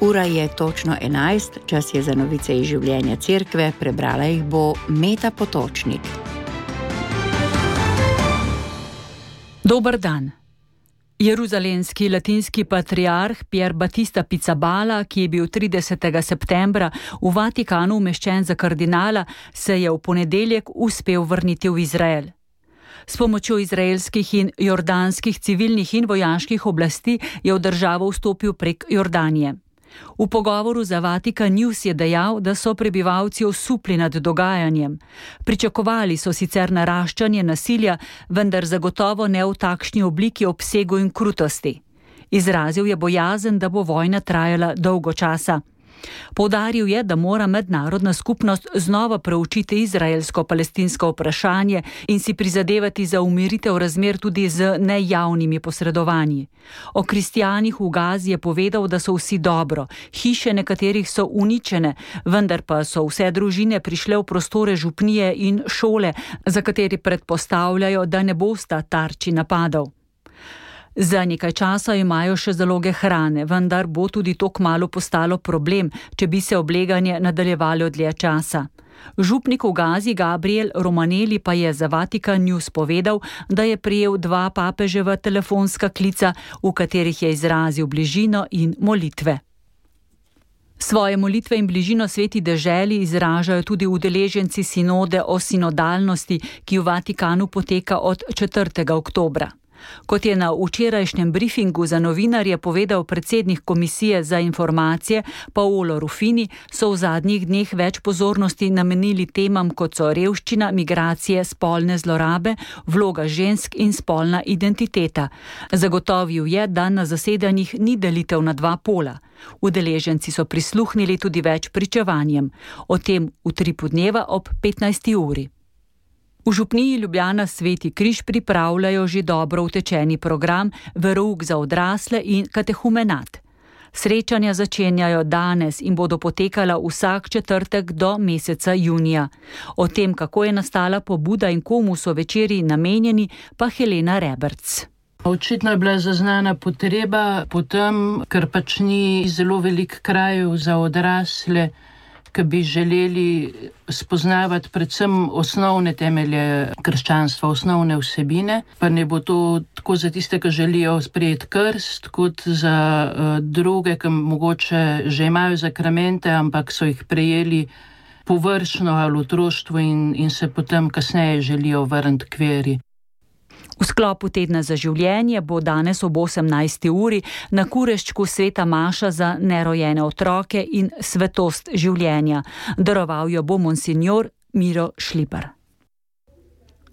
Ura je točno 11, čas je za novice iz življenja cerkve, prebrala jih bo Meta Potočnik. Dober dan. Jeruzalemski latinski patriarh Pier Battista Pizzaballa, ki je bil 30. septembra v Vatikanu umeščen za kardinala, se je v ponedeljek uspel vrniti v Izrael. S pomočjo izraelskih in jordanskih civilnih in vojaških oblasti je v državo vstopil prek Jordanije. V pogovoru za Vatikan News je dejal, da so prebivalci osupli nad dogajanjem. Pričakovali so sicer naraščanje nasilja, vendar zagotovo ne v takšni obliki, obsegu in krutosti. Izrazil je bojazen, da bo vojna trajala dolgo časa. Poudaril je, da mora mednarodna skupnost znova preučiti izraelsko-palestinsko vprašanje in si prizadevati za umiritev razmer tudi z nejavnimi posredovanji. O kristjanih v Gazi je povedal, da so vsi dobro, hiše nekaterih so uničene, vendar pa so vse družine prišle v prostore župnije in šole, za kateri predpostavljajo, da ne bosta tarči napadov. Za nekaj časa imajo še zaloge hrane, vendar bo tudi to kmalu postalo problem, če bi se obleganje nadaljevalo dlje časa. Župnik v Gazi Gabriel Romanelli pa je za Vatikan News povedal, da je prejel 2 papeževa telefonska klica, v katerih je izrazil bližino in molitve. Svoje molitve in bližino sveti deželi izražajo tudi udeleženci sinode o sinodalnosti, ki v Vatikanu poteka od 4. oktobra. Kot je na včerajšnjem briefingu za novinarje povedal predsednik Komisije za informacije Paolo Ruffini, so v zadnjih dneh več pozornosti namenili temam, kot so revščina, migracije, spolne zlorabe, vloga žensk in spolna identiteta. Zagotovil je, da na zasedanjih ni delitev na 2 pola. Udeleženci so prisluhnili tudi več pričevanjem. O tem v Tripu dneva ob 15. uri. V župniji Ljubljana Sveti križ pripravljajo že dobro utečeni program verouk za odrasle in katehumenat. Srečanja začenjajo danes in bodo potekala vsak četrtek do meseca junija. O tem, kako je nastala pobuda in komu so večeri namenjeni, pa Helena Reberc. Očitno je bila zaznana potreba potem, ker pač ni zelo velik krajev za odrasle, ki bi želeli spoznavati predvsem osnovne temelje krščanstva, osnovne vsebine, pa ne bo to tako za tiste, ki želijo sprejeti krst, kot za druge, ki mogoče že imajo zakramente, ampak so jih prejeli površno ali v otroštvu in se potem kasneje želijo vrniti k veri. V sklopu tedna za življenje bo danes ob 18. uri na Kureščku sveta maša za nerojene otroke in svetost življenja. Daroval jo bo monsinjor Miro Šlipar.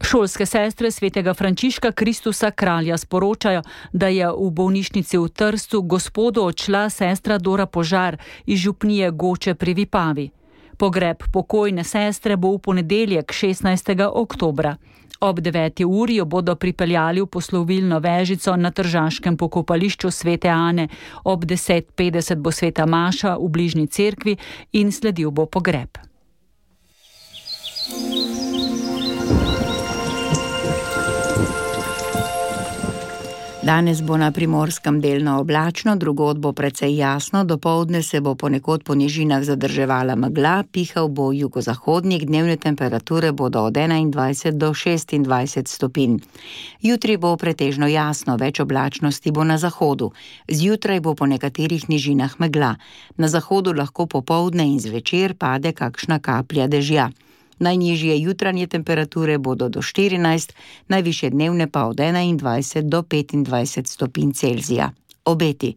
Šolske sestre svetega Frančiška Kristusa kralja sporočajo, da je v bolnišnici v Trstu Gospodu odšla sestra Dora Požar iz župnije Goče pri Vipavi. Pogreb pokojne sestre bo v ponedeljek 16. oktobra. Ob 9. uri jo bodo pripeljali v poslovilno vežico na tržaškem pokopališču svete Ane. Ob 10:50 bo sveta maša v bližnji cerkvi in sledil bo pogreb. Danes bo na Primorskem delno oblačno, drugod bo precej jasno, dopoldne se bo ponekod po nižinah zadrževala megla, pihal bo jugozahodnik, dnevne temperature bodo od 21 do 26 stopinj. Jutri bo pretežno jasno, več oblačnosti bo na zahodu. Zjutraj bo po nekaterih nižinah megla. Na zahodu lahko popoldne in zvečer pade kakšna kaplja dežja. Najnižje jutranje temperature bodo do 14, najvišje dnevne pa od 21 do 25 stopinj Celzija. Obeti.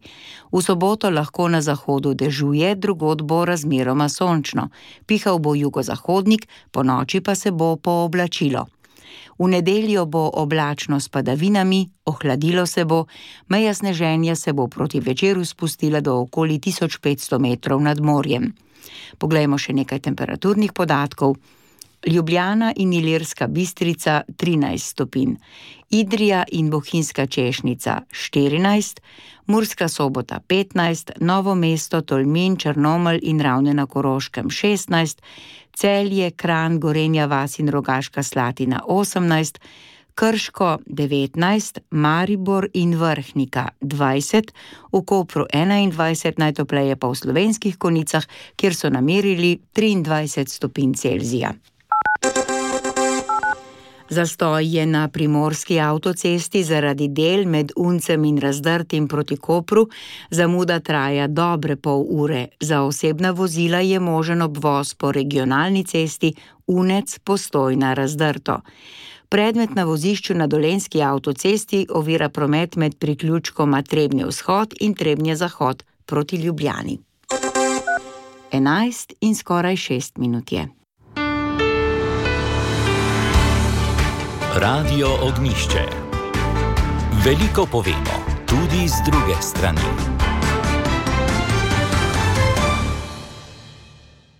V soboto lahko na zahodu dežuje, drugod bo razmeroma sončno. Pihal bo jugozahodnik, ponoči pa se bo pooblačilo. V nedeljo bo oblačno s padavinami, ohladilo se bo, meja sneženja se bo proti večeru spustila do okoli 1500 metrov nad morjem. Poglejmo še nekaj temperaturnih podatkov. Ljubljana in Ilirska Bistrica 13 stopinj, Idrija in Bohinjska Češnica 14, Murska Sobota 15, Novo mesto, Tolmin, Črnomelj in Ravne na Koroškem 16, Celje, Kranj, Gorenja vas in Rogaška Slatina 18, Krško 19, Maribor in Vrhnika 20, v Kopru 21, najtopleje pa v Slovenskih Konjicah, kjer so namerili 23 stopinj Celzija. Zastoj je na primorski avtocesti zaradi del med Uncem in Razdrtim proti Kopru, zamuda traja dobre pol ure. Za osebna vozila je možen obvoz po regionalni cesti Unec-Postojna-Razdrto. Predmet na vozišču na Dolenjski avtocesti ovira promet med priključkoma Trebnje vzhod in Trebnje zahod proti Ljubljani. 11 in skoraj 6 minut je. Radio Ognjišče. Veliko povemo, tudi z druge strani.